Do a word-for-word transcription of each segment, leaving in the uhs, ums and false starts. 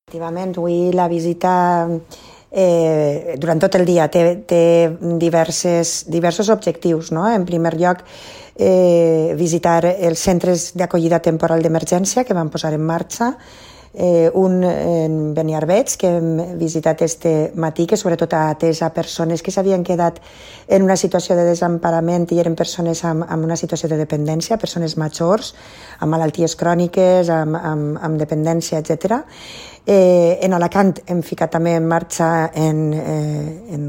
Efectivament, avui la visita eh, durant tot el dia té, té diverses, diversos objectius, no? En primer lloc, eh, visitar els centres d'acollida temporal d'emergència que van posar en marxa, eh, un en Beniarbeig, que hem visitat este matí, que sobretot ha atès a persones que s'havien quedat en una situació de desemparament i eren persones amb, amb una situació de dependència, persones majors, amb malalties cròniques, amb, amb, amb dependència, etcètera. Eh, en Alacant hem ficat també en marxa, en, eh, en,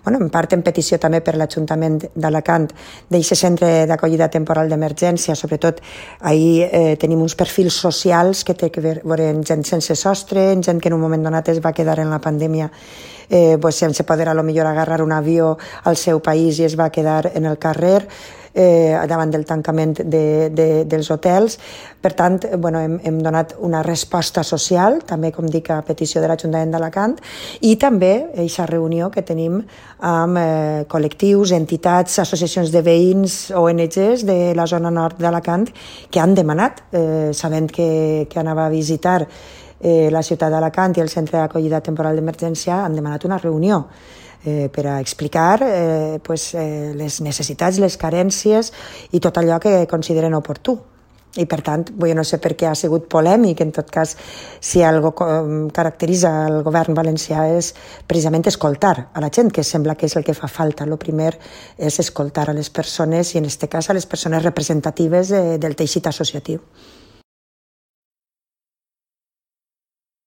bueno, en part en petició també per l'Ajuntament d'Alacant, d'aquest centre d'acollida temporal d'emergència. Sobretot ahir eh, tenim uns perfils socials que té que veure amb gent sense sostre, gent que en un moment donat es va quedar en la pandèmia eh, pues, sense poder a lo millor agarrar un avió al seu país i es va quedar en el carrer eh, davant del tancament de, de, dels hotels. Per tant, bueno, hem, hem donat una resposta social, també, com dic, a petició de l'Ajuntament d'Alacant, i també aquesta reunió que tenim amb eh, col·lectius, entitats, associacions de veïns, O N Ges de la zona nord d'Alacant, que han demanat, eh, sabent que, que anava a visitar eh, la ciutat d'Alacant i el centre d'acollida temporal d'emergència, han demanat una reunió Eh, per a explicar eh, pues, eh, les necessitats, les carències i tot allò que consideren oportú. I, per tant, jo no sé per què ha sigut polèmic. En tot cas, si algo caracteritza el govern valencià és precisament escoltar a la gent, que sembla que és el que fa falta. El primer és escoltar a les persones i, en aquest cas, a les persones representatives eh, del teixit associatiu.